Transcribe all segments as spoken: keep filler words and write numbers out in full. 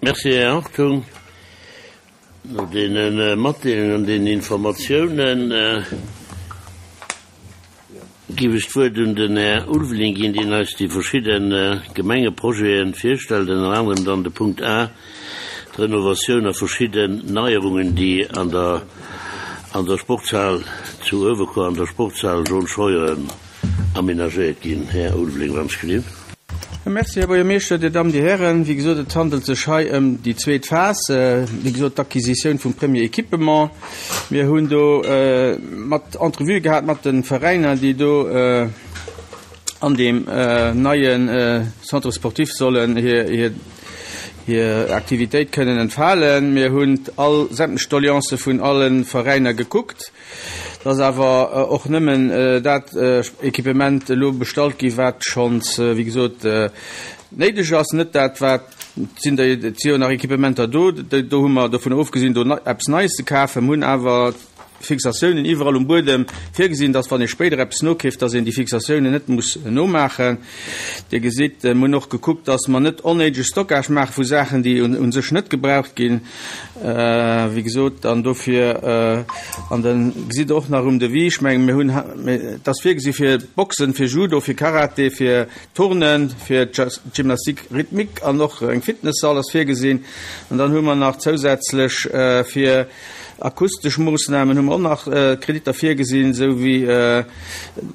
Merci, Här Hartung. No deene Matdeelungen an deenen Informatiounen géif ech d'Wuert un den Här Ulveling ginn, deen eis déi verschidde Gemengeprojete virstellt, ënner anerem dann de Punkt A, d'Renovatioun a verschidden Neierungen, déi an der an der Sportshal zu Uewerkuer, an der Sportshal John Scheuren amenagéiert ginn. Här Ulveling, wann ech gelift. Merci, Här Buergermeeschter, Dir Dammen, Dir Hären. Wéi gesot, et handelt sech hei ëm déi zweet Phas, wéi gesot d'Acquisitioun vum Premier Équipement. Mir hunn do mat Entrevuë gehat mat de Veräiner, déi do an deem neie Centre sportif sollen hir hir Aktivitéit kënnen entfalen. Mir hunn all sämtlech Doleancë vun alle Veräiner gekuckt. Et ass awer och nëmmen dat Equipement elo bestallt gi wat schonns, wéi gesot, néideg ass, net dat wat, et sinn der, et si jo nach Equipementer do, do hu mer dovun ofgesinn do eppes Neies ze kafen. Mir hunn awer Fixatiounen iwwerall um Buedem virgesinn, dass wann ee spéider eppes nokeeft, dass een déi Fixatiounen net muss nomaachen. Dir gesitt, mir hunn och gekuckt, dass mer net onnéidege Stockage maache vu Saachen, déi u sech net gebraucht ginn, wéi gesot. An dofir, an da gesitt Der och nach um Devis, ech mengen, mir hunn, et ass virgesi fir Boxen, fir Judo, fir Karate, fir Turnen, fir Gymnastique rythmique an och eng Fitnesssall ass virgesinn. An dann hu mer nach zousätzlech fir Akustesch Moossnamen hu mer och nach Kreditter virgesinn, esou wéi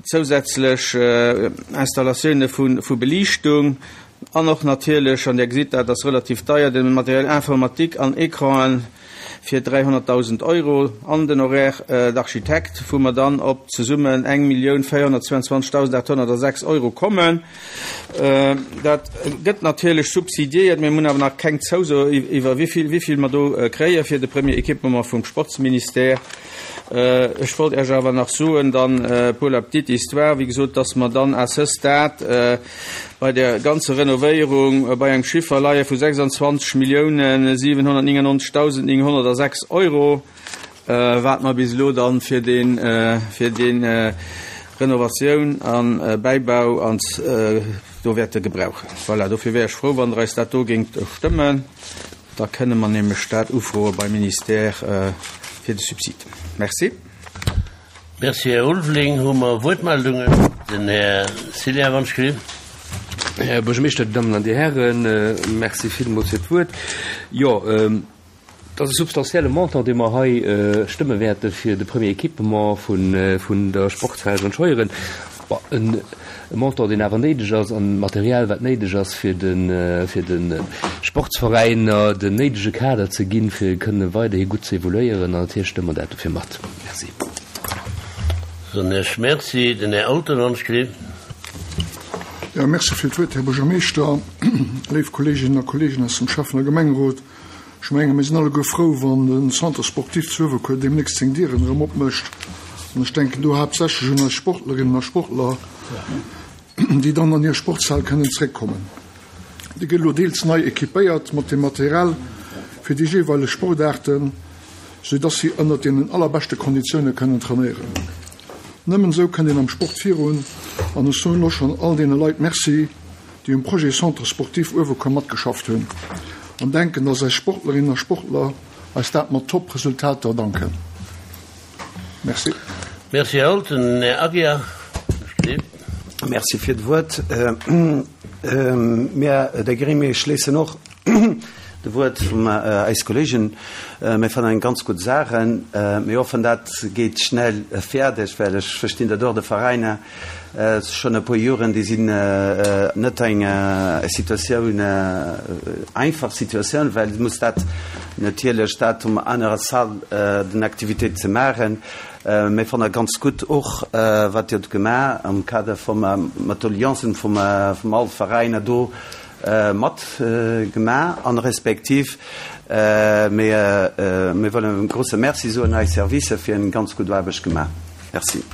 zousätzlech Installatioune vu Beliichtung an och natierlech, an Dir gesitt dat ass relativ deier, de Matériel informatique an Ecranen fir dräihonnertdausend Euro an den Horaire d'architecte, wou mer dann op zesummen eng Millioun véierhonnertzweiundzwanzegdausendachthonnertasechs Euro kommen. Dat gëtt natierlech subsidiéiert. Mir hunn awer nach keng Zouso iwwer wéi vill mer do kréie fir de Premier Équipement vum Sportsministère. Ech wollt Iech awer nach soen dann, pour la petite histoire, wéi gesot, dass mer dann à ce stade bei der ganzer Renovéierung bei engem Chiffer leie vu sechsundzwanzeg Milliounen siwenhonnertnéngennonzegdausendnénghonnertasechs Euro, wat mer bis elo dann fir dee fir dee Renovatioun a Bäibau an do wäerte gebrauchen. Voilà, dofir wär ech frou, wann Der eis dat do géingt stëmmen. Da kënne mer nämlech dat ufroe beim Ministère fir de Subsid. Merci. Merci, Här Ulveling. Hu mer Wuertmeldungen? Den Här Cillien, wann ech gelift. Här Buergermeeschter, Dir Dammen an Dir Hären, merci villmools fir d'Wuert. Jo, et ass e substantielle Montant, dee mer hei stëmme wäerte fir de Premier Équipement vun der Sportshal John Scheuren. Bon, e Montant, deen awer néideg ass, an Material, wat néideg ass, fir de fir de Sportsveräiner den néidege Kader ze ginn, fir kënne weiderhi gutt ze evoluéieren. An natierlech stëmme mer dat dofir mat. Merci. Soen ech Merci. Den Här Alten, wann ech gelift. Jo, merci fir d'Wuert, Här Buergermeeschter, léif Kolleeginnen a Kolleegen aus dem Schäffen a Gemengerot. Ech menge mir sinn alleguer frou, wann de Centre sportif zu Uewerkuer deemnächst seng Dieren erëm opmécht. An ech denken do haaptsächlech un eis Sportlerinnen a Sportler, déi dann an hir Sportshal kënnen zréckkommen. Déi gëtt elo deels nei équipéiert mat dem Material fir déi jeeweileg Sportaarten, soudass si ënnert deenen allerbeschte Konditioune kënnen trainéieren. Nëmmen esou kënnt een am Sport virun. An ech soen elo schonn all deene Leit Merci, déi um Projet Centre sportif Uewerkuer matgeschafft hunn an denken, dass eis Sportlerinnen a Sportler eis dat mat Top-Resultater danken. Merci. Merci, Här Holten. Här Aguiar, steet. Merci fir d'Wuert. Mir, der Gremie, schléissen och de Wuert vum eis Kollegen. Mir fannen eng ganz gutt Sache. Mir hoffen, dat geet schnell fäerdeg, well ech verstinn dat och, de Veräiner schonn e puer Joren, déi sinn net eng Situatioun, einfach Situatioun, well muss dat natierlech dat um anerer Salle den Aktivitéit ze maachen. Mir fanne ganz gutt och, wat Dir hutt gemaach am Kader vum mat Alliancen vum vum all Veräiner do mat gemaach an respektiv mir mir wëllen e grouse Merci soen eis Servicer fir eng ganz gutt Aarbecht gemaach. Merci.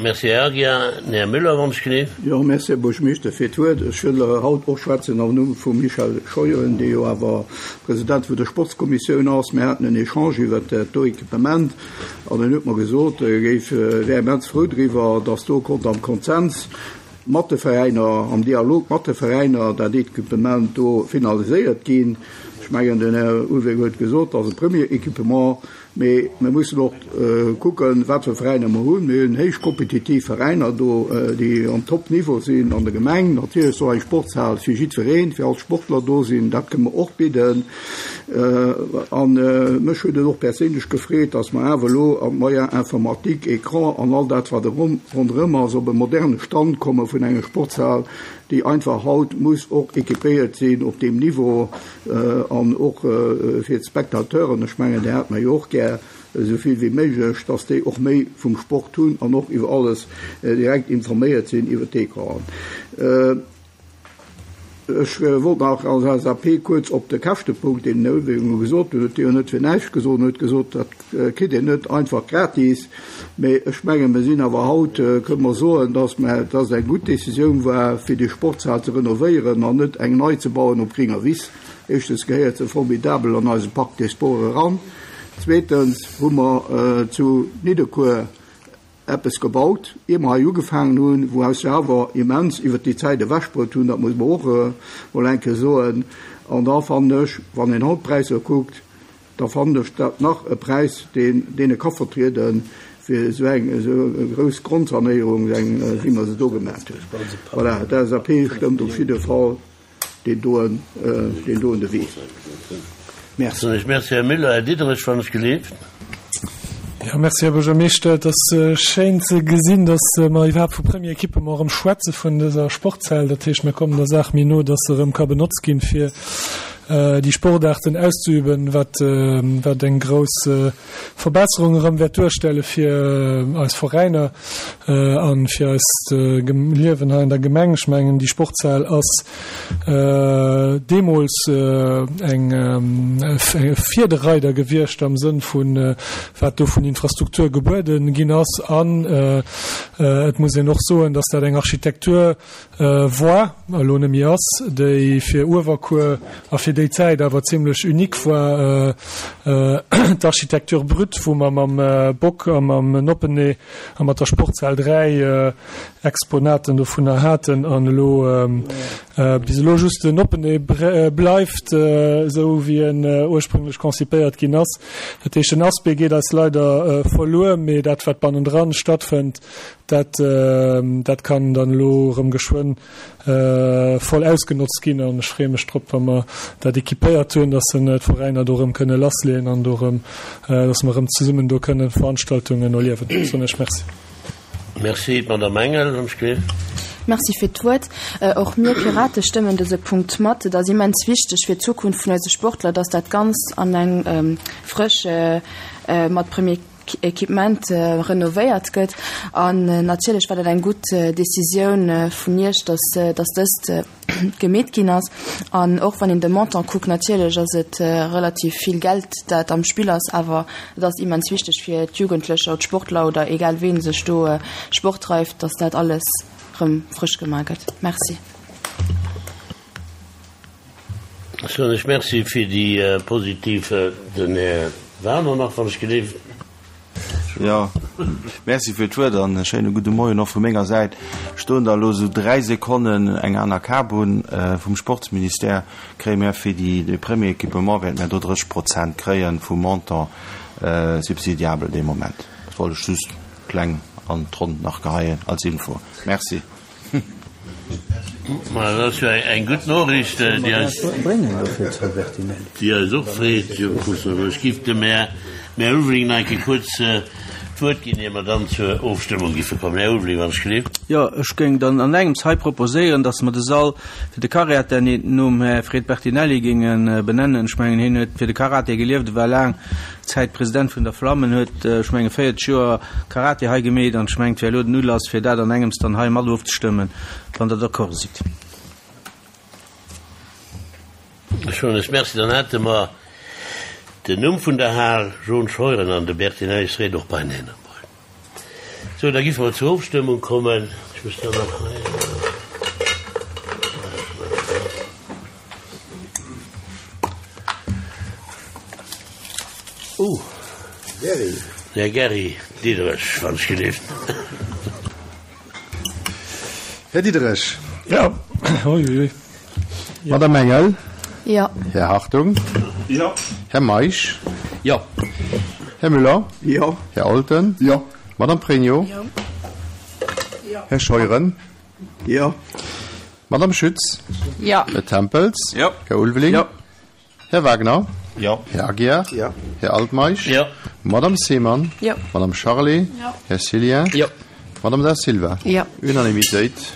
Merci, Här Aguiar. Här Müller, wann ech gelift. Jo, merci, Här Buergermeeschter, fir d'Wuert. Ech wëll haut och schwätzen am Numm vum Michel Scheuren, dee jo awer President vun der Sportskommissioun ass. Mir haten en Echange iwwert dat do Equipement an en huet mer gesot, e géif, wär immens frou driwwer, dass do konnt am Konsens mat de Veräiner, am Dialog mat de Veräiner, dat Equipement do finaliséiert ginn. Ech mengen, den Här Ulveling huet gesot, dat ass e Premier Équipement, mee mir mussen och kucken, wat fir Veräiner mer hunn. Mir hunn héich kompetitiv Veräiner do, déi am Top-Niveau sinn an der Gemeng. Natierlech soll eng Sportshal fir jiddwereen, fir all d'Sportler do sinn. Dat kënne mer och bidden. An mech huet et och perséinlech gefreet, dass mer awer elo an d'Moyens informatiques, Écran an all dat, wat ronderëm ass, op e moderne Stand komme vun enger Sportshal, déi einfach haut muss och équipéiert sinn op deem Niveau an och fir d'Spectateuren, ech mengen, déi hat mer jo och gär esou vill wéi méiglech, dass déi och méi vum Sport hunn an och iwwer alles direkt informéiert sinn iwwer d'Ecranen. Ech wollt nach als L S A P kuerz op de Käschtepunkt, deen den Här Ulveling gesot huet, huet jo net fir näischt gesot, huet gesot, dat kritt een net einfach gratis. Mee ech mengen, mir sinn awer haut, kënne mer soen, dass mer, dass et eng gutt Décisioun war, fir déi Sportshal ze renovéieren an net eng nei ze bauen op gringer Wiss. Éischtens gehéiert se formidabel an eise Parc des Sports eran. Zweetens hu mer zu Nidderkuer eppes gebaut, ier mer hei ugefaangen hunn, wou eis awer immens iwwer déi Zäit ewechbruet hunn, dat muss man och mol eng Kéier soen. An da fannen ech, wann een haut d'Präisser kuckt, da fannen ech dat nach e Präis, deen, deen e ka vertrieden fir esou eng, esou eng grouss Grondsanéierung, eng, wéi mer se do gemaach hunn. Voilà, d'L S A P stëmmt op jidde Fall deen doen, deen doen Devis. Merci. Merci, Herr Müller. Herr Diederich, wann ech geleeft. Ja, merci, Herr Buergermeeschter. Et ass schéin ze gesinn, dass mer iwwerhaapt vu Premier Equipement erëm schwätze vun dëser Sportshal. Dat heescht, mir kommen der Saach méi no, dass se erëm ka benotzt ginn, fir déi Sportarten auszuüben, wat, wat eng grouss Verbesserung erëm wäert duerstelle fir eis Veräiner an fir eist Liewen hei in der Gemeng. Ech mengen, déi Sportshal ass deemools eng Vierdereider gewiescht am Sënn vun wat do vun Infrastruktur gebueden ginn ass. An et muss een och soen, dass dat eng Architektur war, elo net méi ass, déi fir Uewerkuer a fir déi Zäit awer zimmlech unique war, d'Architektur brut, wou mer mam Bock a mam Noppenee a mat der Sportshal dräi Exponaten dovunner haten an elo bis elo just den Noppenee bleift, esou wéi en ursprünglech konzipéiert ginn ass. Dat heescht, den Aspect geet eis leider verluer, mee dat, wat bannendran stattfënnt, dat, dat kann dann elo erëm geschwënn voll ausgenotzt ginn an ech freeë mech drop, wa mer dat equipéiert hunn, dass se d'Veräiner do erëm kënne lassleeën an do erëm, dass mer erëm zesummen do kënne Veranstaltungen erliewen. Soen ech Merci. Merci, d'Madame Engel, wann ech gleef. Merci fir d'Wuert. Och mir Pirate stëmmen dëse Punkt mat. Et ass immens wichteg fir d'Zukunft vun eise Sportler, dass dat Ganzt an eng frësch mat Premier Equipement renovéiert gëtt. An natierlech war dat eng gutt Decisioun vun Iech, dass, dass dëst gemeet ginn ass. An och wann een de Montant kuckt, natierlech ass et relativ vill Geld, dat am Spill ass, awer et ass immens wichteg fir d'Jugendlecher, d'Sportler oder egal ween sech do Sport dreift, dass dat alles rëm frësch gemaach gëtt. Merci. Soen ech Merci fir déi positiv, den Här Werner nach, wann ech geleeft. Ja, merci fir d'Wuert an e schéine gudde Moien och vu menger Säit. Stoen da elo sou dräi Sekonnen eng aner Kabun vum Sportsministère kréie mir fir déi de Premier Equipement wäerte mir do drësseg Prozent kréien vum Montant subsidiabel dee Moment. Dat wollt ech just kleng an d'Ronn nach geheien als Info. Merci. Ma dat ass jo eng gutt Noriicht, déi eis déi eis och freet. Jo, ech giff dem Här Här Ulveling nach eng Kéier kuerz d'Wuert ginn, ier mer dann zur Ofstëmmung giffe kommen. Här Ulveling, wann ech gleef. Jo, ech géing dann an engems hei proposéieren, dass mer de Sall fir de Karate nom Här Fred Bertinelli géinge benennen. Ech mengen, hien huet fir de Karate gelieft, e war laang Zäit President vun der Flammen, huet, ech menge, véierzeg Joer Karate hei gemeet an ech mengen, et wär elo den Ulass, fir dat an engems dann hei mat ofzestëmmen, wann Der d'accord sidd. Ech soen lech Merci. Dann hätte mer den Numm vun der Hal, Jean Scheuren an de Bertinelli Fred och beineen. So, da giffe mer zur Ofstëmmung kommen. Ech muss da nach hei. Uh, Gerry. Här Gerry Diederich, wann ech geleeft. Här Diderich. Jo. Uiuiui. Madame Engel. Jo. Här Hartung. Jo. Här Meisch. Jo. Här Müller. Jo. Här Olten. Jo. Madame Pregno. Jo. Här Scheuren. Jo. Madame Schütz. Jo. Här Tempels. Jo. Här Ulveling. Jo. Här Wagner. Jo. Här Aguiar. Jo. Här Altmeisch. Jo. Madame Seemann. Jo. Madame Charlé. Jo. Här Cillien. Jo. Madame Da Silva. Jo. Unanimitéit.